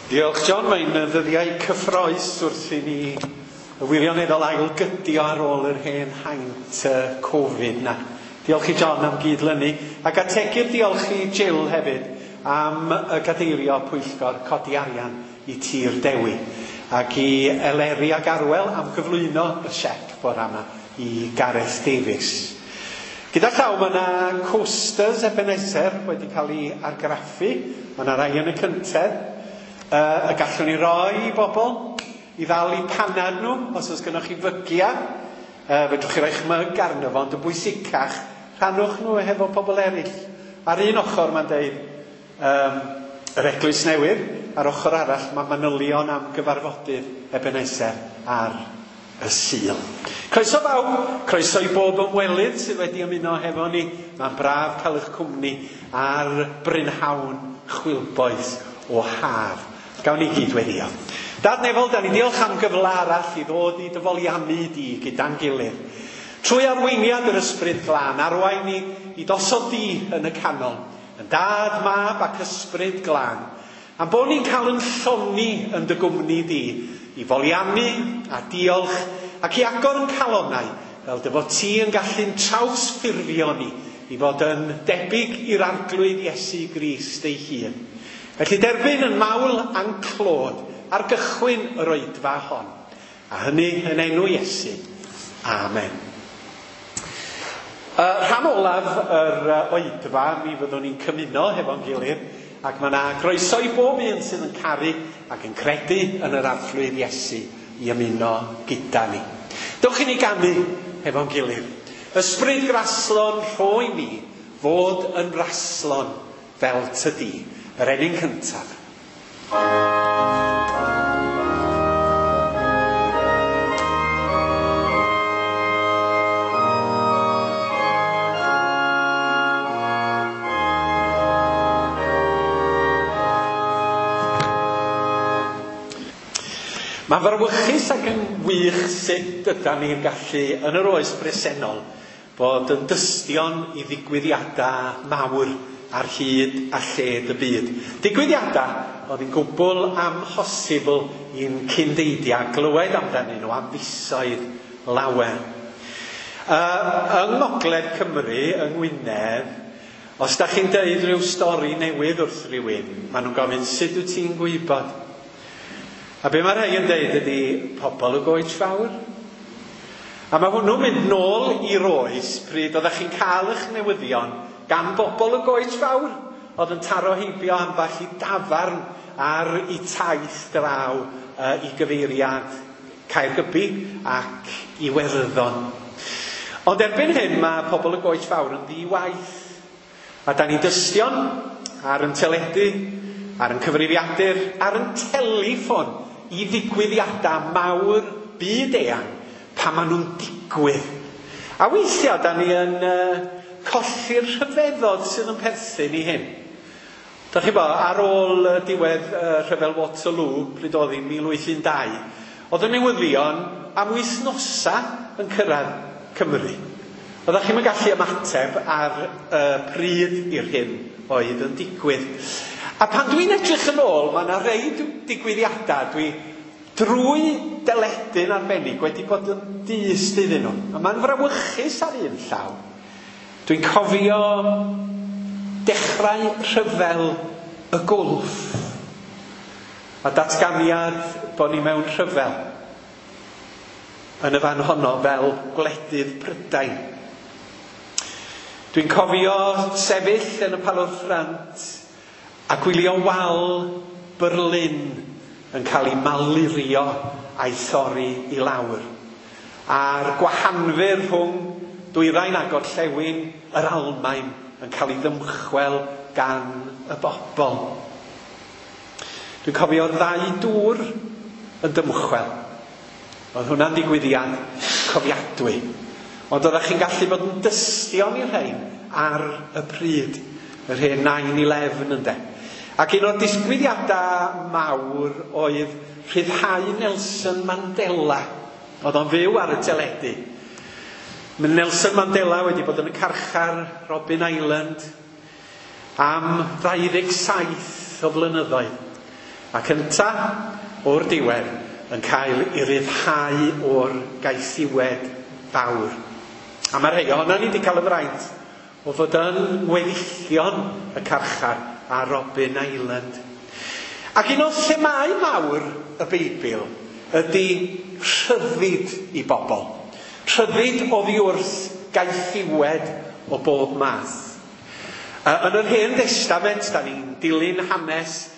Diolch John, mae'n ddyddiau cyffroes wrth i ni wirioneddol ailgydio ar ôl yr hen haint Covid na. Diolch i John am gydlynu ac ategu'r diolch i Jill hefyd am y gadeirio pwyllgor codi arian i Tir Dewi ac i Eleri ac Arwel am gyflwyno y siec bore yma i Gareth Davies. Gyda llaw mae yna coasters Ebenezer wedi cael ei argraffu, mae yna rai yn y cyntedd, y gallwn ni roi i bobl i ddal eu panad nhw, os oes gennych chi fygia, fedrwch chi roi'ch myg arno fo, ond yn bwysicach, rhannwch nhw hefo pobl eraill. Ar un ochr mae'n deud yr Eglwys Newydd, ar ochr arall mae manylion am gyfarfodydd Ebenezer ar y Sul. Croeso bawb, croeso i bob ymwelydd sydd wedi ymuno hefo ni. Mae'n braf cael eich cwmni ar brynhawn chwilboeth o haf. Gawn ni gyd weddio. Dad Nefol, da ni diolch am gyfle arall i ddod i dyfoliannu di gyda'n gilydd. Trwy arweiniad yr Ysbryd Glân, arwain ni i dosod di yn y canol, yn Dad, Mab ac Ysbryd Glân. Am bod ni'n cael yn llonni yn dy gwmni di, i foliannu a diolch ac i agor yn calonnau, fel dy fod ti yn gallu'n trawsffurfio ni i fod yn debyg i'r Arglwydd Iesu Grist ei hun. Felly derbyn yn mawl a'n clod ar gychwyn yr oedfa hon, a hynny yn enw Iesu. Amen. Rhan olaf yr oedfa, mi fyddwn ni'n cymuno hefo'n gilydd, ac mae yna groeso i bob un sydd yn caru ac yn credu yn yr Arglwydd Iesu i ymuno gyda ni. Dewch i ni ganu hefo'n gilydd. Ysbryd graslon rhoi mi fod yn raslon fel tydi, yr enyn cyntaf. Mae'n frawychus ac yn wych sut ydan ni'n gallu yn yr oes bresennol bod yn dystion i ddigwyddiadau mawr ar hyd a lled y byd. Digwyddiadau oedd yn gwbl amhosibl i'n cyndeidiau glywed amdanyn nhw am fisoedd lawer. Yng Ngogledd Cymru, yng Ngwynedd, os da chi'n deud rhyw stori newydd wrth rhywun, maen nhw'n gofyn sut wyt ti'n gwybod? A be mae rhai yn deud ydy pobl y goets fawr. A mae hwnnw'n mynd nôl i'r oes pryd oeddech chi'n cael eich newyddion gan bobl y goets fawr oedd yn taro heibio ambell i dafarn ar eu taith draw i gyfeiriad Caergybi ac Iwerddon. Ond erbyn hyn mae pobl y goets fawr yn ddi-waith. A da ni'n dystion ar yn teledu, ar yn cyfrifiadur, ar yn teleffon i ddigwyddiadau mawr byd eang pan maen nhw'n digwydd. A weithiau da ni yn colli'r rhyfeddod sydd yn perthyn i hyn. Dach chi bo, ar ôl diwedd rhyfel Waterloo, pryd oedd hi'n 1812, oedd y newyddion am wythnosa yn cyrraedd Cymru. Oeddech chi'm yn gallu ymateb ar y pryd i'r hyn oedd yn digwydd. A pan dwi'n edrych yn ôl, mae yna rei digwyddiadau dwi drwy deledu'n arbennig wedi bod yn dyst iddyn nhw. A mae'n frawychus ar un llaw. Dwi'n cofio dechrau rhyfel y Gwlff a datganiad bod ni mewn rhyfel yn y fan honno fel gwledydd Prydain. Dwi'n cofio sefyll yn y Palwr Ffrant a gwylio wal Berlin yn cael ei malurio a'i thorri i lawr. A'r gwahanfur rhwng dwyrain a gorllewin yr Almaen yn cael ei ddymchwel gan y bobl. Dwi'n cofio'r ddau dŵr yn dymchwel. Oedd hwnna'n digwyddiad cofiadwy. Ond oeddech chi'n gallu bod yn dystion i'r rhain ar y pryd, yr hen 9/11 ynde. Ac un o'r disgwyliadau mawr oedd rhyddhau Nelson Mandela. Oedd o'n fyw ar y teledu. Mae Nelson Mandela wedi bod yn y carchar Robben Island am 27 o flynyddoedd. Ac ynta, o'r diwedd, yn cael ei ryddhau o'r gaethiwed fawr. A mae rhai ohonon ni wedi cael y fraint o fod yn ngweddillion y carchar ar Robben Island. Ac un o themâu mawr y Beibl ydy rhyddid i bobl. Rhyddid oddi wrth gaethiwed o bob math. Yn yr Hen Destament, da ni'n dilyn hanes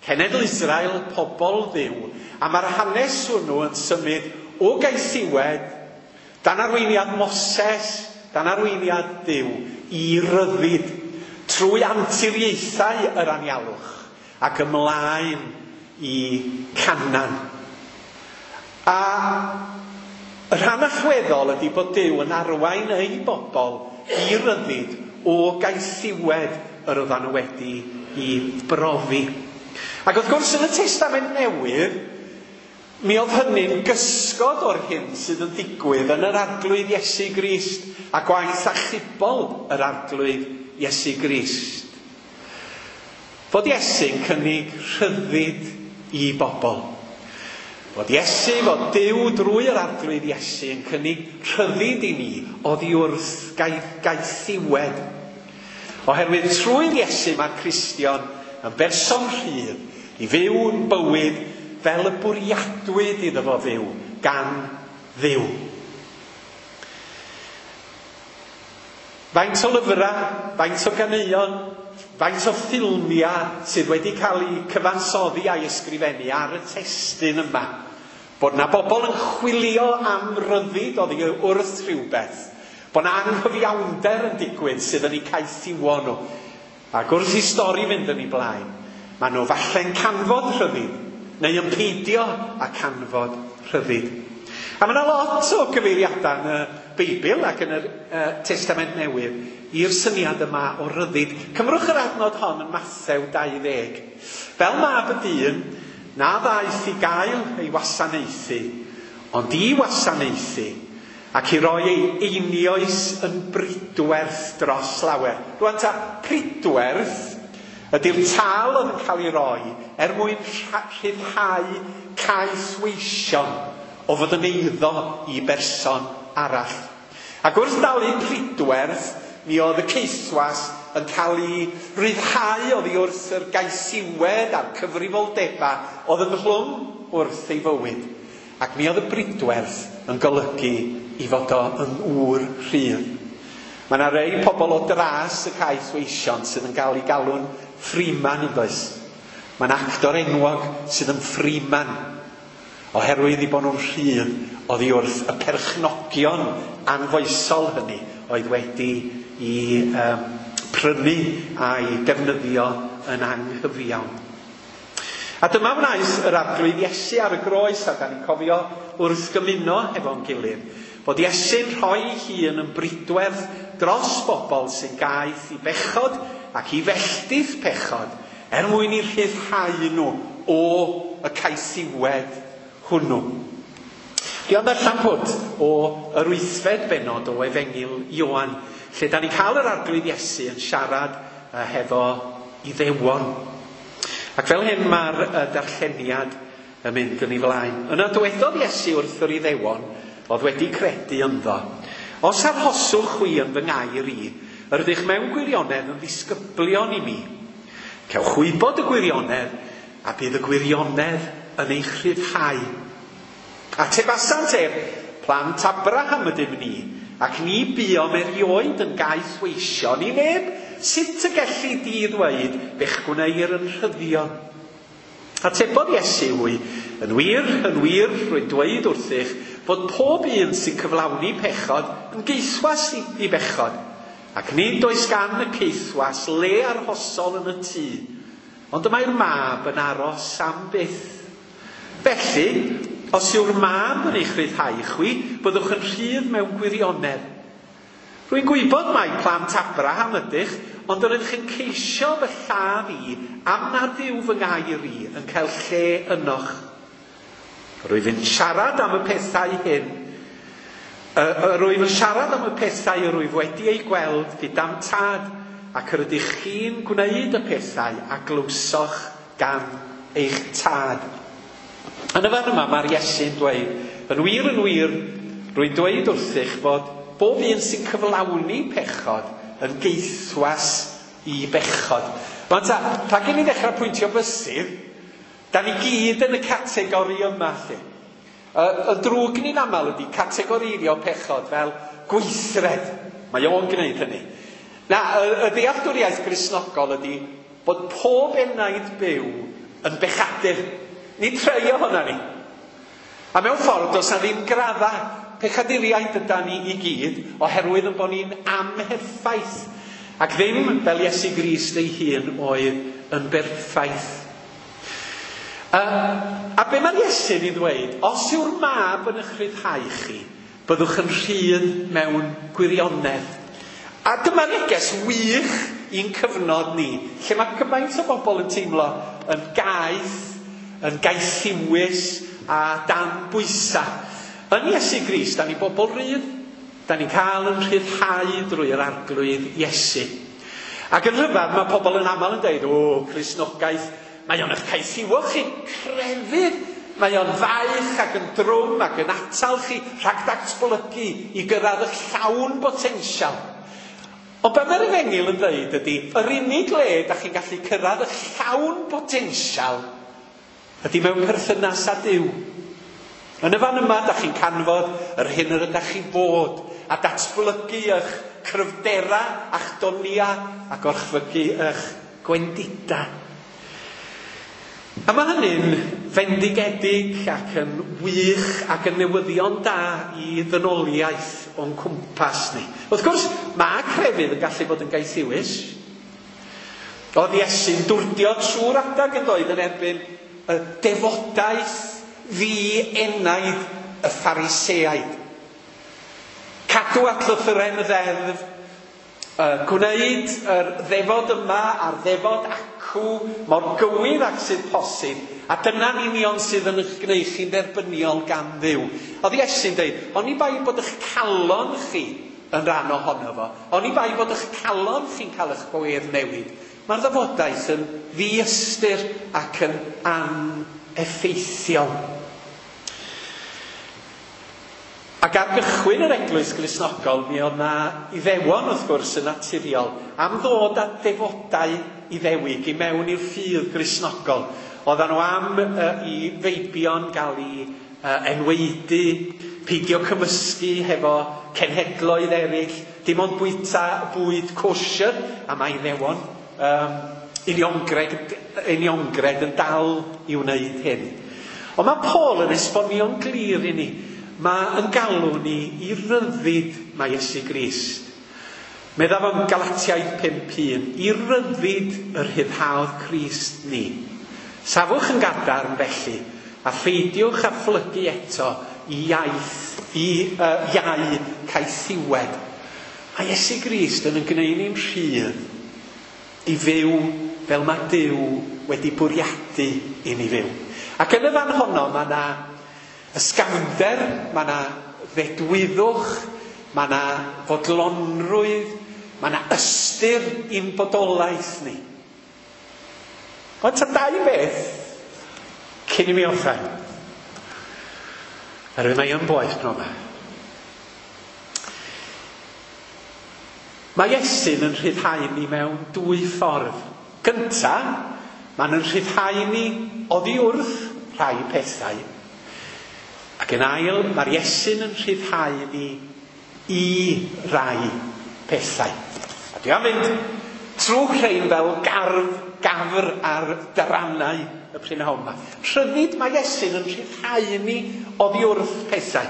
cenedl Israel, pobl Dduw, a mae'r hanes hwnnw yn symud o gaethiwed dan arweiniad Moses, dan arweiniad Duw, i ryddid trwy anturiaethau yr anialwch ac ymlaen i Canaan. A y rhan allweddol ydy bod Duw yn arwain ei bobl i ryddid o gaethiwed yr oeddan nhw wedi i brofi. Ac wrth gwrs yn y Testament Newydd, mi oedd hynny'n gysgod o'r hyn sydd yn digwydd yn yr Arglwydd Iesu Grist a gwaith achubol yr Arglwydd Iesu Grist. Fod Iesu'n cynnig rhyddid i bobl. Fod Iesu, fod Duw drwy yr Arglwydd Iesu yn cynnig rhyddid i ni oddi wrth gaethiwed. Oherwydd trwy'r Iesu mae'r Cristion yn berson rhydd i fyw yn bywyd fel y bwriadwyd iddo fo fyw gan Dduw. Faint o lyfrau, faint o ganeuon, faint o ffilmiau sydd wedi cael eu cyfansoddi a'i ysgrifennu ar y testun yma. Bod na bobl yn chwilio am ryddid oddi wrth rhywbeth. Bod na anghyfiawnder yn digwydd sydd yn eu caethiwo nhw. Ac wrth i stori fynd yn ei blaen, maen nhw falle'n canfod rhyddid, neu yn peidio â canfod rhyddid. A mae yna lot o gyfeiriadau yn y Beibl ac yn yr Testament Newydd i'r syniad yma o ryddid. Cymrwch yr adnod hon yn Mathew 20. Fel mab y dyn, na ddaeth i gael ei wasanaethu, ond i wasanaethu, ac i roi ei einioes yn bridwerth dros lawer. Rwan ta, pridwerth ydy'r tâl oedd yn cael ei roi er mwyn rhyddhau caethweision o fod yn eiddo i berson arall. Ac wrth dalu pridwerth, mi oedd y caethwas yn cael ei ryddhau oddi wrth yr gaethiwed a'r cyfrifoldebau oedd ynghlwm wrth ei fywyd. Ac mi oedd y bridwerth yn golygu i fod o yn ŵr rhydd. Mae yna rei pobl o dras y caethweision sydd yn cael ei galw'n freeman, yn does? Mae'n actor enwog sydd yn freeman, oherwydd i bod nhw'n rhydd oddi wrth y perchnogion anfoesol hynny oedd wedi i prynu a'i defnyddio yn anghyfiawn. A dyma wnaeth yr Arglwydd Iesu ar y groes, a da ni'n cofio wrth gymuno efo'n gilydd, bod Iesu'n rhoi ei hun yn bridwerth dros bobl sy'n gaeth i bechod ac i felltith pechod, er mwyn i rhyddhau nhw o y caethiwed hwnnw. Dwi am ddarllen pwt o yr 8fed bennod o Efengyl Ioan, lle da ni'n cael yr Arglwydd Iesu yn siarad hefo Iddewon. Ac fel hyn mae'r darlleniad yn mynd yn ei flaen. Yna dywedodd Iesu wrth yr Iddewon oedd wedi credu ynddo, os arhoswch chwi yn fy ngair i, yr ydych mewn gwirionedd yn ddisgyblion i mi. Cewch wybod y gwirionedd, a bydd y gwirionedd yn eich rhyddhau. Atebasant ef, plant Abraham ydym ni, ac ni buom erioed yn gaethweision i neb. Sut y gelli di ddweud fe'ch gwneir yn rhyddion? Atebodd Iesu hwy, yn wir, rwy'n dweud wrthych, fod pob un sy'n cyflawni pechod yn gaethwas i bechod, ac nid oes gan y caethwas le arhosol yn y tŷ, ond y mae'r mab yn aros am byth. Felly, os yw'r mab yn eich rhyddhau chwi, byddwch yn rhydd mewn gwirionedd. Rwy'n gwybod mai plant Abraham ydych, ond yr ydych yn ceisio fy lladd i am nad yw fy ngair i yn cael lle ynoch. Rwyf yn siarad am y pethau hyn. Rwyf yn siarad am y pethau yr wyf wedi eu gweld gyda'm tad, ac yr ydych chi'n gwneud y pethau a glywsoch gan eich tad. Yn y fan yma mae'r Iesu'n dweud, yn wir yn wir, rwy'n dweud wrthych fod bob un sy'n cyflawni pechod yn geithwas i bechod. Rwan ta, rhag i ni ddechrau pwyntio bysydd, da ni gyd yn y categori yma lle. Y drwg ni'n aml ydy categoreiddio pechod fel gweithred. Mae o'n gwneud hynny. Na, y ddealltwriaeth Gristnogol ydy bod pob enaid byw yn bechadur. Nid rhai ohono ni. A mewn ffordd, does na ddim gradda pechaduriaid yda ni i gyd, oherwydd yn bod ni'n amherffaith. Ac ddim fel Iesu Grist ei hun oedd yn berffaith. A be mae'r Iesu'n ei ddweud? Os yw'r mab yn eich rhyddhau chi, byddwch yn rhydd mewn gwirionedd. A dyma neges wych i'n cyfnod ni, lle mae gymaint o bobl yn teimlo yn gaeth, yn gaethiwus a dan bwysau. Yn Iesu Grist, da ni bobl rydd. Da ni'n cael yn rhyddhau drwy yr Arglwydd Iesu. Ac yn rhyfedd, mae pobl yn aml yn dweud, o, Cristnogaeth, mae o'n eich caethiwo chi, crefydd, mae o'n faich ac yn drwm ac yn atal chi rhag datblygu i gyrraedd eich llawn botensial. Ond be mae'r Efengyl yn dweud ydy, yr unig le da chi'n gallu cyrraedd eich llawn botensial ydy mewn perthynas â Duw. Yn y fan yma, da chi'n canfod yr hyn yr ydych chi fod a datblygu eich cryfdera a'ch donia a gorchfygu eich gwendida. A mae hynny'n fendigedig ac yn wych ac yn newyddion da i ddynoliaeth o'n cwmpas ni. Wrth gwrs, mae crefydd yn gallu bod yn gaethiwus. Oedd Iesu'n dwrdio trwy'r adag yn doedd yn erbyn y defodaeth ddi-enaid y Phariseaid. Cadw at lythyren y ddeddf, gwneud yr ddefod yma a'r ddefod acw mor gywir ac sydd posib, a dyna'n union sydd yn eich gwneud chi'n dderbyniol gan Dduw. Oedd Iesu'n dweud, oni bai bod eich calon chi yn rhan ohono fo, oni bai bod eich calon chi'n cael eich gwedd newid, mae'r ddefodaeth yn ddiystyr ac yn aneffeithiol. Ac ar gychwyn yr Eglwys Gristnogol, mi oedd na Iddewon, wrth gwrs, yn naturiol, am ddod â defodau Iddewig i mewn i'r ffydd Gristnogol. Oedden nhw am i feibion gael eu enwaedu, peidio cymysgu hefo cenhedloedd eraill, dim ond bwyta bwyd kosher, a mae Iddewon uniongred yn dal i wneud hyn. Ond mae Paul yn esbonio'n glir i ni. Mae yn galw ni i ryddid mae Iesu Grist. Meddaf am Galatiaid 5:1, i ryddid yr rhyddhaodd Crist ni. Safwch yn gadarn felly, a pheidiwch â phlygu eto i iaith, i iau caethiwed. Mae Iesu Grist yn gwneud ni'n rhydd i fyw fel mae Duw wedi bwriadu i ni fyw. Ac yn y fan honno mae yna ysgafnder, mae yna ddedwyddwch, mae yna fodlonrwydd, mae yna ystyr i'n bodolaeth ni. Ond ta dau beth cyn i mi orffen. Oherwydd mae yn boeth pnawn yma. Mae Iesu'n yn rhyddhau ni mewn dwy ffordd. Gynta, mae'n yn rhyddhau ni oddi wrth rhai pethau. Ac yn ail, mae'r Iesu'n yn rhyddhau ni i rai pethau. A dwi am fynd trwy rhain fel gafr ar darannau y prynhawn yma. Rhyddid mae Iesu'n yn rhyddhau ni oddi wrth pethau.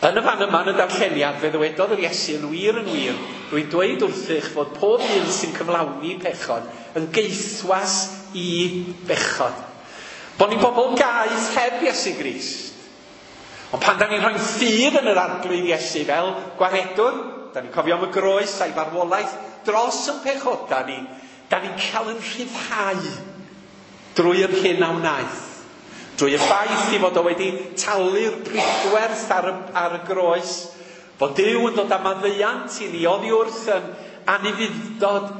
Yn y fan yma yn y darlleniad, fe ddywedodd yr Iesu yn wir yn wir, rwy'n dweud wrthych fod pob un sy'n cyflawni pechod yn geithwas i bechod. Bod ni'n bobl gaeth heb Iesu Grist. Ond pan da ni'n rhoi ffydd yn yr Arglwydd Iesu fel gwaredwr, da ni'n cofio am y groes a'i farwolaeth dros yn pechoda ni, da ni'n cael yn rhyddhau drwy yr hyn a wnaeth. Drwy y ffaith i fod o wedi talu'r pridwerth ar y groes, fod Duw yn dod â maddeuant i ni oddi wrth yn anufudd-dod.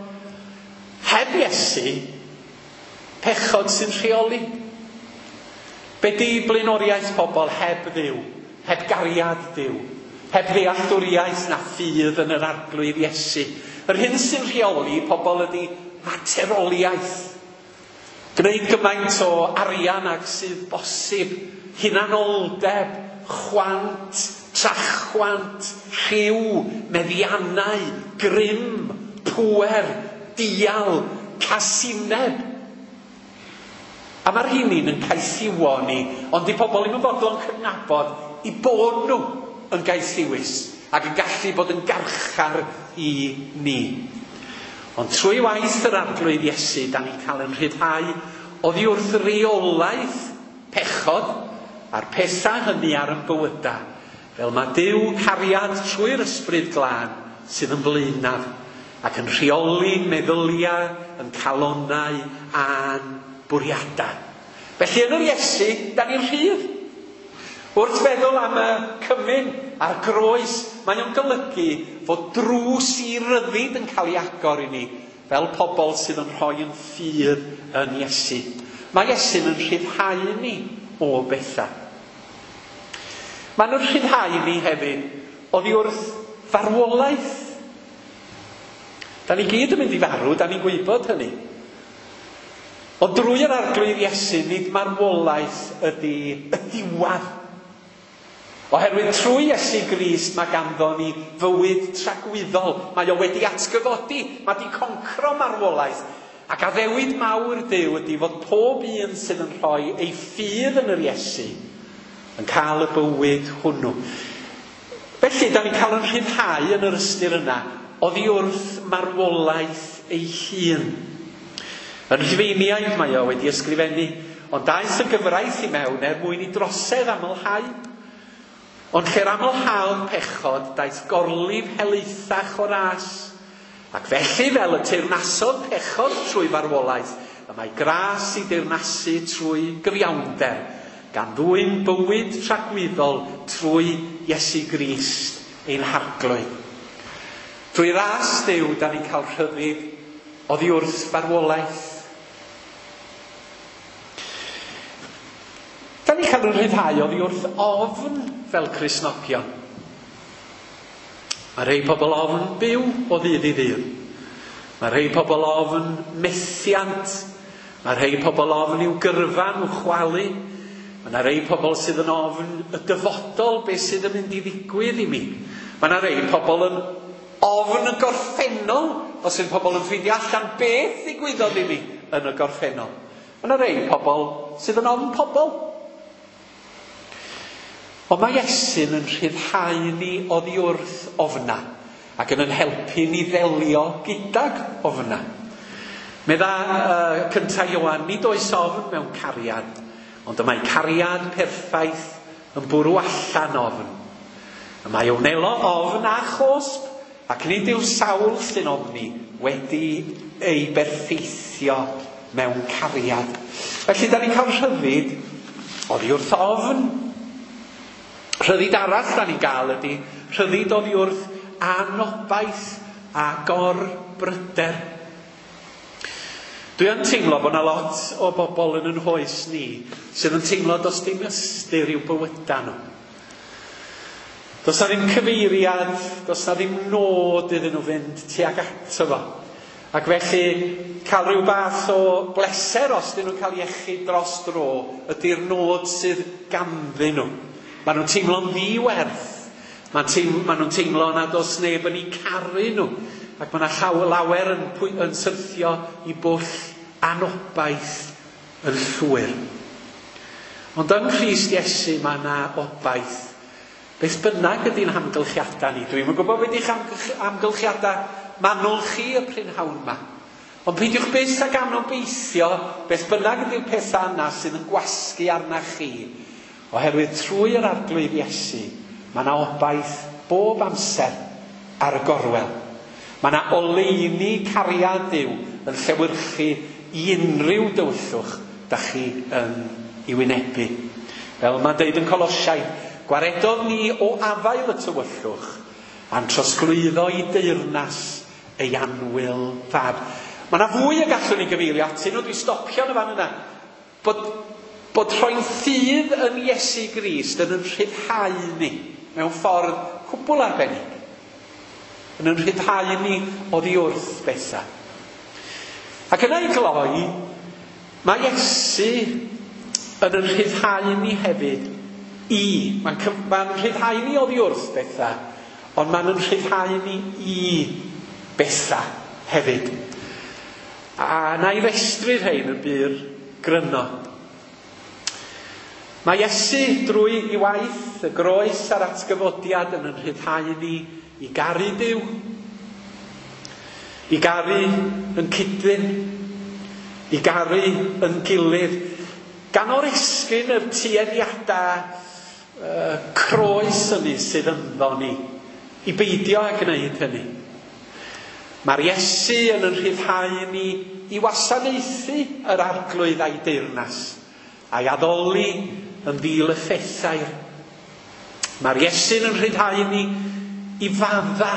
Heb Iesu, Pechod sy'n rheoli. Be di blaenoriaeth pobl heb Dduw, heb gariad Duw, heb ddealltwriaeth na ffydd yn yr Arglwydd Iesu? Yr hyn sy'n rheoli pobl ydy materoliaeth. Gwneud gymaint o arian ag sydd bosib, hunanoldeb, chwant, trachwant, rhyw, meddiannau, grym, pŵer, dial, casineb. A mae'r rheiny'n yn caethiwo ni, ond di pobl ddim yn fodlon cydnabod i bod nhw yn gaethiwus ac yn gallu bod yn garchar i ni. Ond trwy waith yr Arglwydd Iesu, da ni'n cael yn rhyddhau oddi wrth reolaeth pechod a'r pethau hynny ar yn bywydau, fel mae Duw cariad trwy'r Ysbryd Glân sydd yn flaenaf ac yn rheoli meddyliau, yn calonnau a'n bwriadau. Felly yn yr Iesu, da ni'n rhydd. Wrth feddwl am y cymun a'r groes, mae o'n golygu fod drws i ryddid yn cael ei agor i ni, fel pobl sydd yn rhoi yn ffydd yn Iesu. Mae Iesu'n yn rhyddhau ni o bethau. Maen nhw'n rhyddhau ni hefyd oddi wrth farwolaeth. Da ni gyd yn mynd i farw, da ni'n gwybod hynny. Ond drwy yr Arglwydd Iesu, nid marwolaeth ydy y diwedd. Oherwydd trwy Iesu Grist mae ganddo ni fywyd tragwyddol. Mae o wedi atgyfodi, mae di concro marwolaeth. Ac addewid mawr Duw ydy fod pob un sydd yn rhoi ei ffydd yn yr Iesu yn cael y bywyd hwnnw. Felly, da ni'n cael yn rhyddhau yn yr ystyr yna oddi wrth marwolaeth ei hun. Yn Rhufeiniaid mae o wedi ysgrifennu, ond daeth y gyfraith i mewn er mwyn i drosedd amlhau. Ond lle'r amlhaodd pechod, daeth gorlif helaethach o ras. Ac felly, fel y teyrnasodd pechod trwy farwolaeth, y mae gras i deyrnasu trwy gyfiawnder, gan ddwyn bywyd tragwyddol trwy Iesu Grist ein Harglwydd. Trwy ras Duw, da ni'n cael rhyddid oddi wrth farwolaeth. Da ni'n cael yn rhyddhau oddi wrth ofn fel Cristnogion. Mae rhai pobl ofn byw o ddydd i ddydd. Mae rhai pobl ofn methiant. Mae rhai pobl ofn i'w gyrfa nhw chwalu. Mae yna rhai pobl sydd yn ofn y dyfodol, beth sydd yn mynd i ddigwydd i mi. Mae yna rhai pobl yn ofn y gorffennol, os yw pobl yn ffeindio allan beth ddigwyddodd i mi yn y gorffennol. Mae yna rhai pobl sydd yn ofn pobl. Ond mae Iesu'n yn rhyddhau ni oddi wrth ofna ac yn helpu ni ddelio gydag ofna. Medda cynta Ioan, nid oes ofn mewn cariad, ond y mae cariad perffaith yn bwrw allan ofn. Y mae wnelo ofn a chosb, ac nid yw sawl sy'n ofni wedi ei berffeithio mewn cariad. Felly, da ni'n cael rhyddid oddi wrth ofn. Rhyddid arall da ni'n gael ydy rhyddid oddi wrth anobaith a gorbryder. Dwi yn teimlo bod yna lot o bobl yn yn hoes ni sydd yn teimlo does dim ystyr i'w bywydau nhw. Does na ddim cyfeiriad, does na ddim nod iddyn nhw fynd tuag ato fo. Ac felly, cael rhyw fath o bleser os dyn nhw'n cael iechyd dros dro ydy'r nod sydd ganddyn nhw. Maen nhw'n teimlo'n ddiwerth. Maen nhw'n teimlo nad oes neb yn eu caru nhw. Ac mae yna lawer yn syrthio i bwll anobaith yn llwyr. Ond yng Nghrist Iesu mae yna obaith. Beth bynnag ydy'n hamgylchiadau ni. Dwi'm yn gwybod beth ydych amgylchiadau manwl chi y prynhawn yma. Ond peidiwch byth ag anobeithio beth bynnag ydy'r pethau yna sydd yn gwasgu arna chi. Oherwydd trwy yr Arglwydd Iesu, mae yna obaith bob amser ar y gorwel. Mae yna oleuni cariad Duw yn llewyrchu i unrhyw dywyllwch da chi yn ei wynebu. Fel mae'n deud yn Colosiaid, gwaredodd ni o afael y tywyllwch a'n trosglwyddo i deyrnas ei annwyl fab. Mae yna fwy y gallwn ni gyfeirio atyn nhw, dwi'n stopio yn y fan yna. Bod rhoi'n ffydd yn Iesu Grist yn yn rhyddhau ni mewn ffordd cwbl arbennig. Yn yn rhyddhau ni oddi wrth bethau. Ac yna i gloi, mae Iesu yn yn rhyddhau ni hefyd i. Mae'n rhyddhau ni oddi wrth bethau, ond mae'n yn rhyddhau ni i bethau hefyd. A na i restru rhain yn byr gryno. Mae Iesu drwy ei waith, y groes a'r atgyfodiad yn yn rhyddhau ni i garu Duw, i garu yn cydlyn, i garu yn gilydd, gan oresgyn yr tueddiadau croes hynny sydd ynddo ni, i beidio â gwneud hynny. Mae'r Iesu yn yn rhyddhau ni i wasanaethu yr Arglwydd a'i deyrnas, a'i addoli yn ddil y ffethair. Mae'r Iesu'n yn rhyddhau ni i fadda.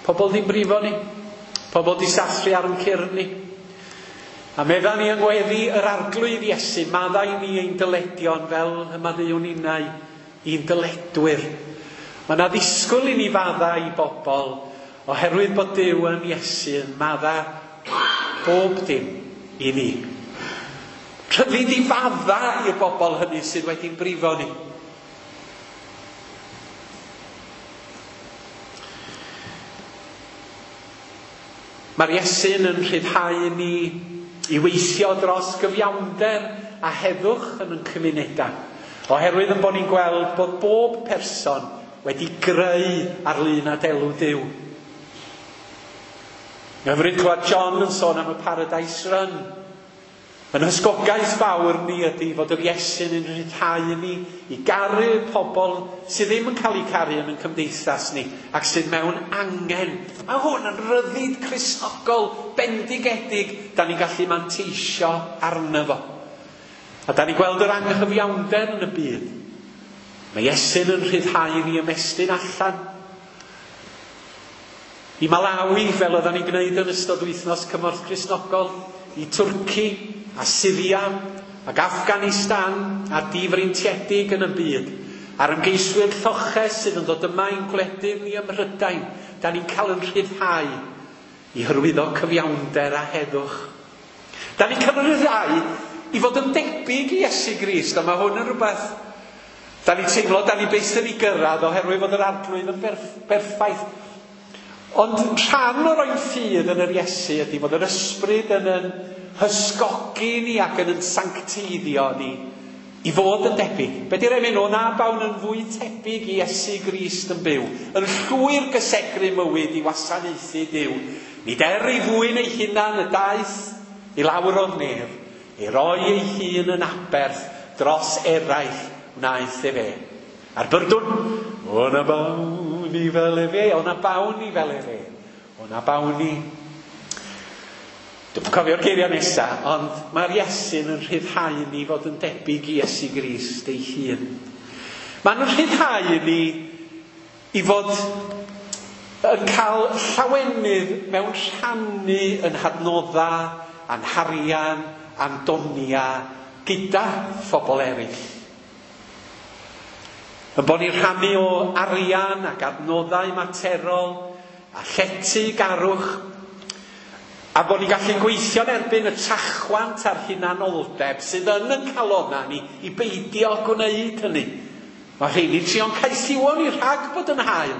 Pobl ddim brifo ni, pobl di sathru ar yn cyrn ni. A medda ni yng ngweddi yr Arglwydd Iesu, maddau ni ein dyledion fel y maddeuwn ninnau i'n dyledwyr. Mae yna ddisgwyl i ni fadda i bobl oherwydd bod Duw yn Iesu yn madda bob dim i ni. Rhyddid i fadda i'r bobl hynny sydd wedi'n brifo ni. Mae'r Iesu'n yn rhyddhau ni i weithio dros gyfiawnder a heddwch yn ein cymunedau. Oherwydd yn bod ni'n gweld bod bob person wedi greu ar lun a delw Duw. Hyfryd clywed John yn sôn am y Paradise Run. Yn hysgogaeth fawr ni ydy fod yr Iesu'n yn rhyddhau ni i garu pobl sydd ddim yn cael eu caru yn ein cymdeithas ni ac sydd mewn angen. Mae hwn yn ryddid Cristnogol bendigedig da ni'n gallu manteisio arno fo. A da ni'n gweld yr anghyfiawnder yn y byd. Mae Iesu'n yn rhyddhau ni ymestyn allan. I Malawi, fel oedden ni'n gwneud yn ystod wythnos Cymorth Cristnogol, i Twrci a Syria ac Afghanistan a difreintiedig yn y byd, a'r ymgeiswyr lloches sydd yn dod yma i'n gwledydd ni ym Mhrydain, da ni'n cael yn rhyddhau i hyrwyddo cyfiawnder a heddwch. Da ni'n cael yn rhyddhau i fod yn debyg i Iesu Grist, a mae hwn yn rhywbeth da ni'n teimlo, da ni byth yn ei gyrraedd oherwydd fod yr Arglwydd yn berffaith. Ond rhan o'r ein ffydd yn yr Iesu ydy fod yr ysbryd yn yn hysgogi ni ac yn yn sancteiddio ni i fod yn debyg. Be di'r emyn? O na bawn yn fwy tebyg i Iesu Grist yn byw, yn llwyr gysegru mywyd i wasanaethu Duw. Nid er ei fwyn ei hunan y daeth i lawr o'r nef, ei roi ei hun yn aberth dros eraill wnaeth efe. A'r byrdwn, o na bawn ni fel efe, o na bawn ni fel efe, o na bawn ni. Dwi'n cofio'r geiriau nesaf, ond mae'r Iesu'n yn rhyddhau ni fod yn debyg i Iesu Grist ei hun. Mae'n rhyddhau ni i fod yn cael llawenydd mewn rhannu yn hadnodda, a'n harian, a'n donia gyda phobl eraill. Yn bod ni'n rhannu o arian ac adnoddau materol a llety garwch, a bod ni'n gallu gweithio'n erbyn y trachwant a'r hunanoldeb sydd yn yn calonna ni i beidio gwneud hynny. Mae rheini'n trio'n caethiwo ni rhag bod yn hael.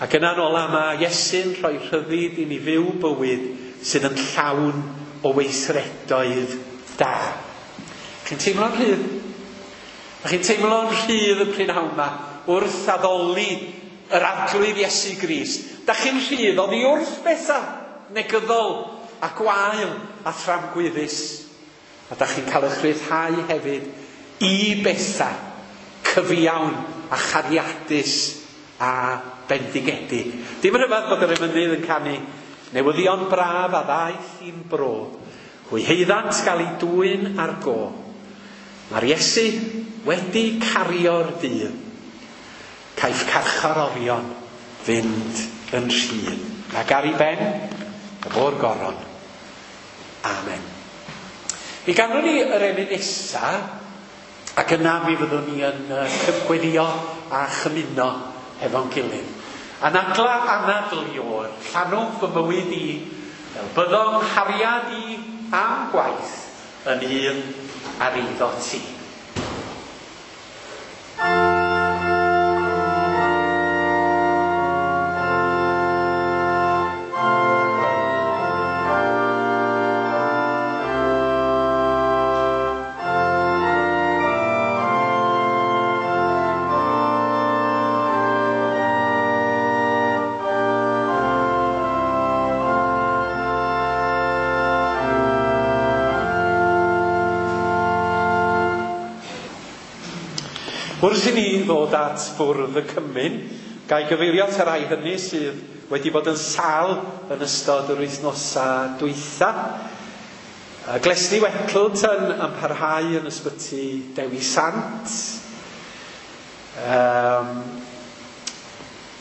Ac yna'n ola mae Iesu'n rhoi rhyddid i ni fyw bywyd sydd yn llawn o weithredoedd da. Chi'n teimlo'n rhydd? Chi'n teimlo'n rhydd y prynhawn yma wrth addoli yr Arglwydd Iesu Grist. Da chi'n rhydd oddi wrth bethau negyddol a gwael a thramgwyddus. A da chi'n cael eich rhyddhau hefyd i bethau cyfiawn a chariadus a bendigedig. Dim rhyfedd bod yr emynydd yn canu newyddion braf a ddaeth i'n bro. Hwy heiddant gael ei dwyn ar go. Mae'r Iesu wedi cario'r dydd. Caiff carcharorion fynd yn rhydd. Ac ar ei ben, y bo'r goron. Amen. Mi ganwn ni yr emyn nesa, ac yna mi fyddwn ni yn gweddio a chymuno hefo'n gilydd. Anadla anadl Iôr, llanw fy mywyd i, fel byddo'n nghariad i am gwaith yn un ar eiddo ti. Wrth i ni ddod at fwrdd y cymun, ga i gyfeirio at y rhai hynny sydd wedi bod yn sâl yn ystod yr wythnosau dwytha. Glesni Wettleton yn parhau yn ysbyty Dewi Sant.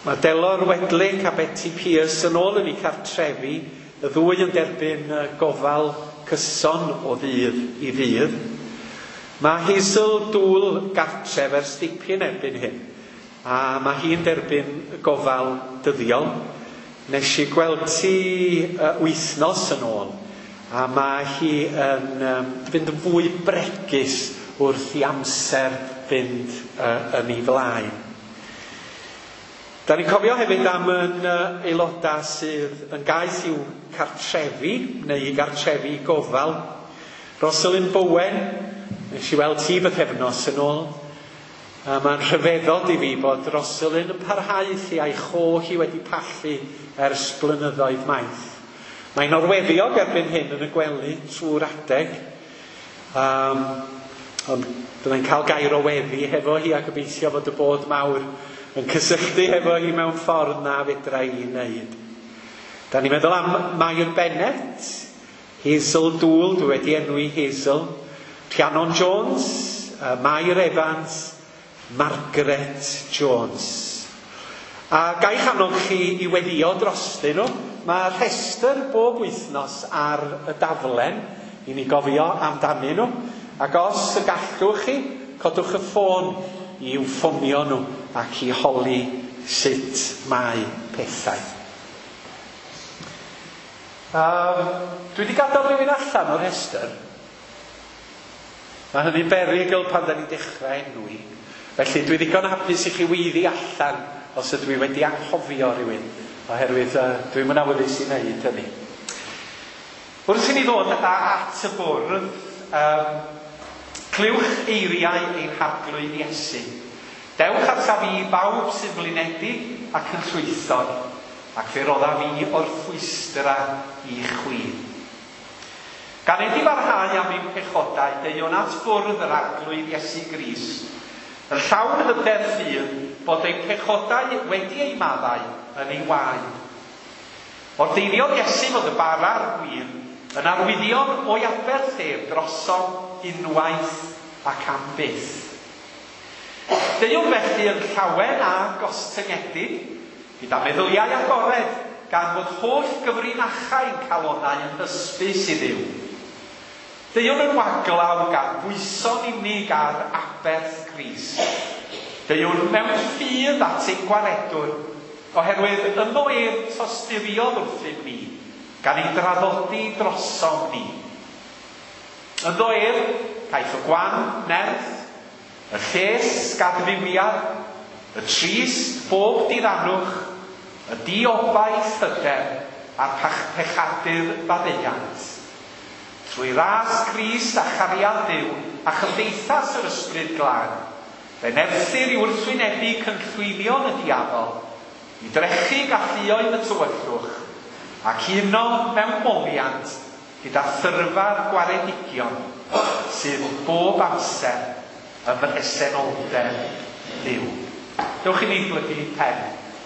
Mae Delor Wedlick a Betty Pierce yn ôl yn eu cartrefi, y ddwy yn derbyn gofal cyson o ddydd i ddydd. Mae Hazel Dŵl gartref ers dipyn erbyn hyn, a mae hi'n derbyn gofal dyddiol. Nes i gweld ti wythnos yn ôl, a mae hi yn fynd yn fwy bregus wrth i amser fynd yn ei flaen. Da ni'n cofio hefyd am yn aelodau sydd yn gaeth i'w cartrefi, neu i gartrefi gofal. Rosalind Bowen, nes i weld ti bythefnos yn ôl. A mae'n rhyfeddod i fi bod Rosalind yn parhau lle a'i cho hi wedi pallu ers blynyddoedd maith. Mae'n orweddiog erbyn hyn yn y gwely trwy'r adeg. Ond byddai'n cael gair o weddi hefo hi a gobeithio fod y bod mawr yn cysylltu hefo hi mewn ffordd na fedra i wneud. Da ni'n meddwl am Mair Bennett, Hazel Dŵl, dwi wedi enwi Hazel, Rhiannon Jones, Mair Evans, Margaret Jones. A ga'i annog chi i weddio drostyn nhw. Mae rhestr bob wythnos ar y daflen i ni gofio amdanyn nhw. Ac os y gallwch chi, codwch y ffôn i'w ffonio nhw ac i holi sut mae pethau. Dwi wedi gadael rhywun allan o'r rhestr. Mae hynny'n berygl pan da ni'n dechrau enwi. Felly dwi ddigon hapus i chi weiddi allan os ydw i wedi anghofio rhywun, oherwydd dwi'm yn awyddus i wneud hynny. Wrth i ni ddod at y bwrdd, clywch eiriau ein Harglwydd Iesu. Dewch ataf fi bawb sy'n flinedig ac yn llwythog, ac fe roddaf fi orffwystra i chwi. Gan eddi barhau am ein pechodau, deuwn at fwrdd yr Arglwydd Iesu Grist, yn llawn hyder ffydd bod ein pechodau wedi eu maddau yn ei waed. Ordeiriodd Iesu fod y bara a'r gwin yn arwyddion o'i aberth ef drosom unwaith ac am byth. Deuwn felly yn llawen a gostyngedig, gyda meddyliau agored, gan fod holl gyfrinachau'n calonau yn hysbys i Dduw. Deuwn yn waglaw gan bwyso'n unig ar aberth Crist. Deuwn mewn ffydd at ein gwaredwr, oherwydd ynddo ef tosturiodd wrthym ni, gan ei draddodi drosom ni. Ynddo ef, caiff y gwan nerth, y lles gadfywiad, y trist bob diddanwch, y diobaith hyder a'r pechadur faddeuant. Trwy ras Crist a chariad Duw a chymdeithas yr Ysbryd Glân, fe nerthir i wrthwynebu cynllwynion y diafol, i drechu galluoedd y tywyllwch, ac uno mewn moliant gyda thyrfa'r gwaredigion sydd bob amser ym mhresenoldeb Duw. Dewch i ni blygu pen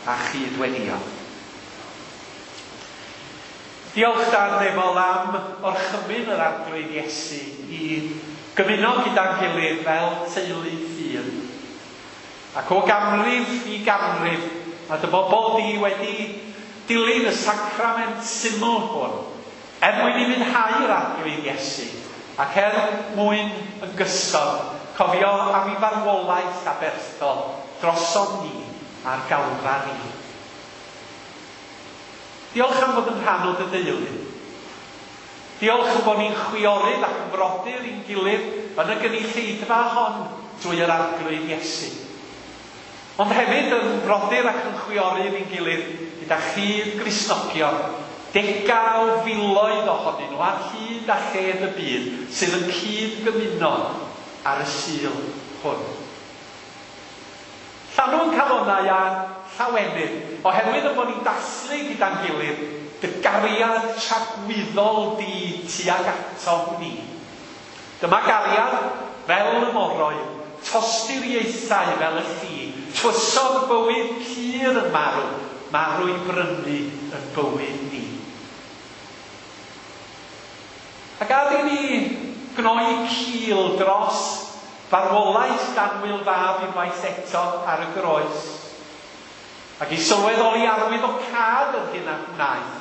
a chyd-weddio. Diolch Dad nefol am orchymyn yr Arglwydd Iesu i gymuno gyda'n gilydd fel teulu ffydd. Ac o ganrif i ganrif, mae dy bobl di wedi Dilyn y sacrament syml hwn, er mwyn i fwynhau'r Arglwydd Iesu, ac er mwyn yn gyson cofio am ei farwolaeth aberthol drosom ni ar Galfari. Diolch am fod yn rhan o dy deulu. Diolch am bod ni'n chwiorydd ac yn frodyr i'n gilydd yn y gynulleidfa hon drwy yr Arglwydd Iesu. Ond hefyd yn frodyr ac yn chwiorydd i'n gilydd gyda chyd Gristnogion, degau o filoedd ohonyn nhw ar hyd a lled y byd sydd yn cyd-gymuno ar y Sul hwn. Llanw'n calonnau â llawenydd, oherwydd ein bod ni'n dathlu gyda'n gilydd dy gariad tragwyddol di tuag atom ni. Dyma gariad fel y moroedd, tosturiaethau fel y lli, tywysog bywyd pur yn marw, marw i brynu yn bywyd ni. A gad i ni gnoi cil dros farwolaeth d'annwyl fab unwaith eto ar y groes, ac i sylweddoli arwyddocâd yr hyn a wnaeth,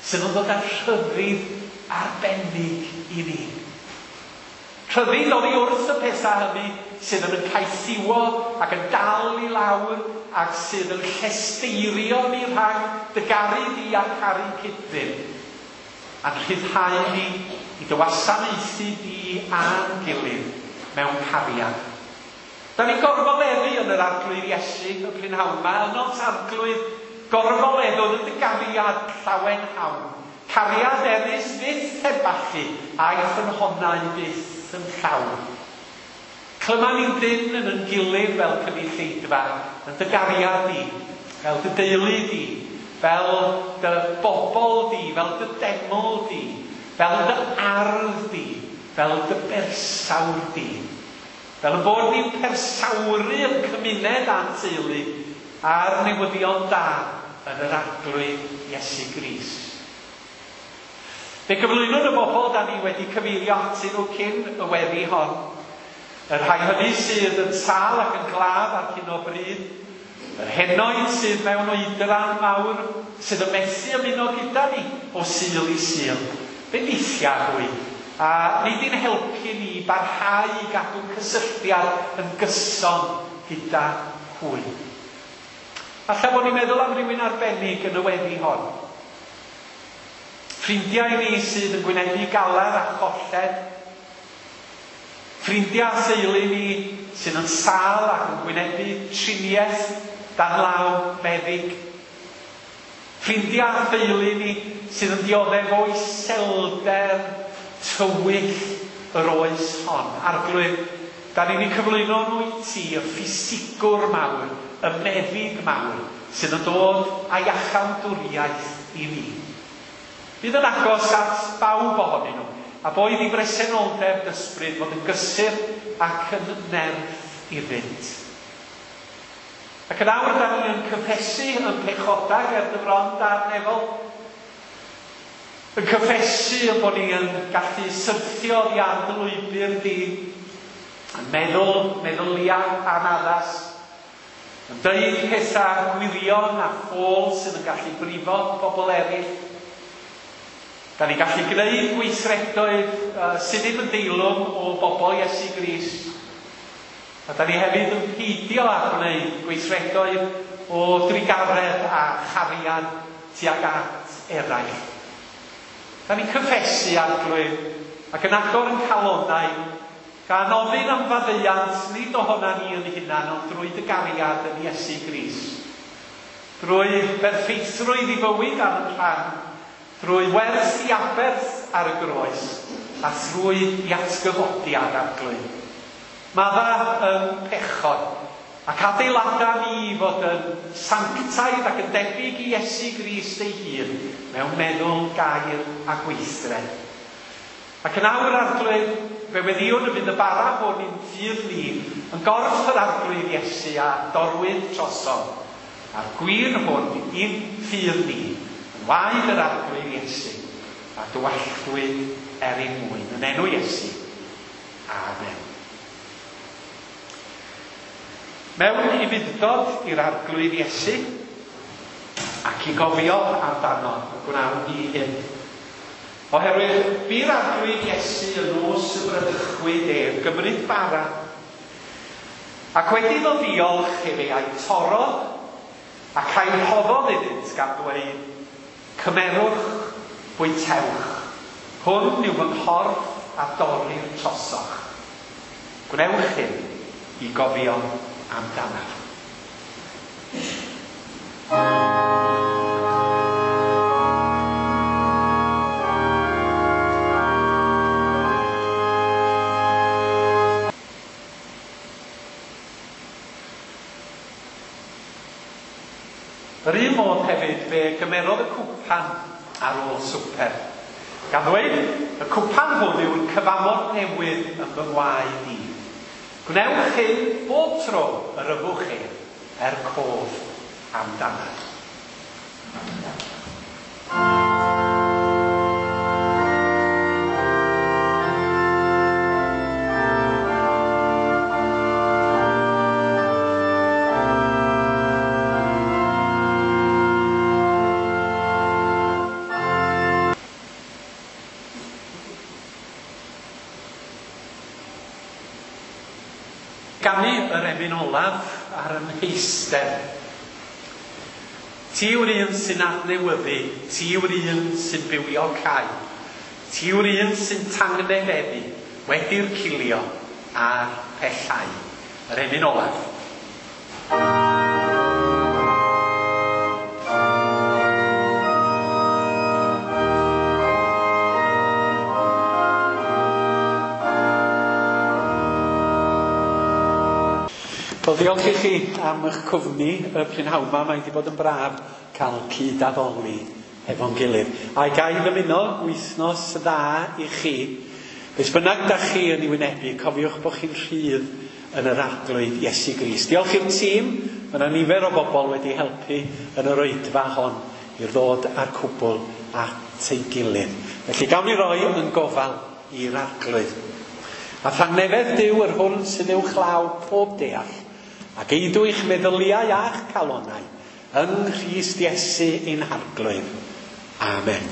sydd yn dod â rhyddid arbennig i ni. Rhyddid oddi wrth y pethau hynny sydd yn yn caethiwo ac yn dal i lawr ac sydd yn llesteirio ni rhag dy garu di a caru cyd-ddyn, a'n rhyddhau ni i dy wasanaethu di a'n gilydd mewn cariad. Da ni'n gorfoleddu yn yr Arglwydd Iesu y prynhawn 'ma, ynot Arglwydd, gorfoleddwn yn dy gariad llawenhawn, cariad erys fyth heb ballu, a'i ffynhonnau byth yn llawn. Clyma ni'n dynn yn yn gilydd fel cynulleidfa, yn dy gariad di, fel dy deulu di, fel dy bobl di, fel dy deml di, fel dy ardd di, fel dy bersawr di. Fel y bod ni'n persawru yn cymuned a'n teulu a'r newyddion da yn yr Arglwydd Iesu Grist. Fe gyflwynwn y bobl da ni wedi cyfeirio atyn nhw cyn y weddi hon, y rhai hynny sydd yn sâl ac yn glaf ar hyn o bryd, yr henoed sydd mewn oedran mawr, sydd yn methu ymuno gyda ni o Sul i Sul. Bendithia hwy, a wnei di'n helpu ni i barhau i gadw cysylltiad yn gyson gyda hwy. Falle bod ni'n meddwl am rywun arbennig yn y weddi hon. Ffrindiau ni sydd yn gwynebu galar a cholled. Ffrindiau a theulu ni sydd yn sâl ac yn gwynebu triniaeth dan law meddyg. Ffrindiau a theulu ni sydd yn dioddef o iselder tywyll yr oes hon. Arglwydd, da ni wedi cyflwyno nhw i ti, y ffisigwr mawr, y meddyg mawr, sydd yn dod â iachawdwriaeth i ni. Bydd yn agos at bawb ohonyn nhw, a boed i bresenoldeb d'ysbryd fod yn gysur ac yn nerth iddynt. Ac yn awr da ni yn cyffesu yn pechodau ger dy fron Dad nefol, yn cyffesu yn bod ni yn gallu syrthio oddi ar dy lwybr di, yn meddwl meddyliau anaddas, yn dweud pethau gwirion a ffôl sydd yn gallu brifo pobl eraill. Da ni'n gallu gwneud gweithredoedd sydd ddim yn deilwng o bobl Iesu Grist. A da ni hefyd yn peidio â gwneud gweithredoedd o drugaredd a chariad tuag at eraill. Da ni'n cyffesu, Arglwydd, ac yn agor yn calonnau, gan ofyn am faddeuant nid ohona ni yn hunan, ond drwy dy gariad yn Iesu Grist. Drwy berffeithrwydd i fywyd ar yn rhan, drwy werth i aberth ar y groes, a thrwy i atgyfodiad, Arglwydd. Madda yn pechod, ac adeilada ni fod yn sanctaidd ac yn debyg i Iesu Grist ei hun mewn meddwl, gair a gweithred. Ac yn awr, Arglwydd, fe weddïwn y bydd y bara hwn i'n ffydd ni yn gorff yr Arglwydd Iesu a dorwyd trosom, a'r gwin hwn i'n ffydd ni yn waed yr Arglwydd Iesu a dywalltwyd er ein mwyn. Yn enw Iesu. Amen. Mewn ufudd-dod i'r Arglwydd Iesu, Ac i gofio amdano y gwnawn ni hyn. Oherwydd bu'r Arglwydd Iesu y nos y bradychwyd ef gymryd bara, ac wedi iddo ddiolch efe a'i torrodd, ac a'i rhoddodd iddynt gan ddweud, Cymerwch, bwytewch, hwn yw fy nghorff a dorrir trosoch. Gwnewch hyn i gofio amdanaf. Yr un modd hefyd fe gymerodd y cwpan ar ôl swper, gan ddweud, Y cwpan hwn yw'r cyfamod newydd yn fy ngwaed i. Gwnewch hyn bob tro yr yfwch ef, er cof amdanaf. Ganu yr emyn olaf ar 'y mheistr. Ti yw'r un sy'n adnewyddu, ti yw'r un sy'n bywiocáu, ti yw'r un sy'n tangnefeddu wedi'r cilio a'r pellhau. Yr emyn olaf. Wel, diolch i chi am eich cwmni y prynhawn 'ma. Mae wedi bod yn braf cael cyd-addoli hefo'n gilydd. A ga i ddymuno wythnos dda i chi. Beth bynnag da chi yn ei wynebu, cofiwch bod chi'n rhydd yn yr Arglwydd Iesu Grist. Diolch i'r tîm, mae yna nifer o bobl wedi helpu yn yr oedfa hon i ddod â'r cwbl at ei gilydd. Felly gawn ni roi yn gofal i'r Arglwydd. A thangnefedd Duw yr hwn sydd uwchlaw pob deall, ac eidw eich meddyliau a'ch calonnau yng Nghrist Iesu ein Harglwydd. Amen.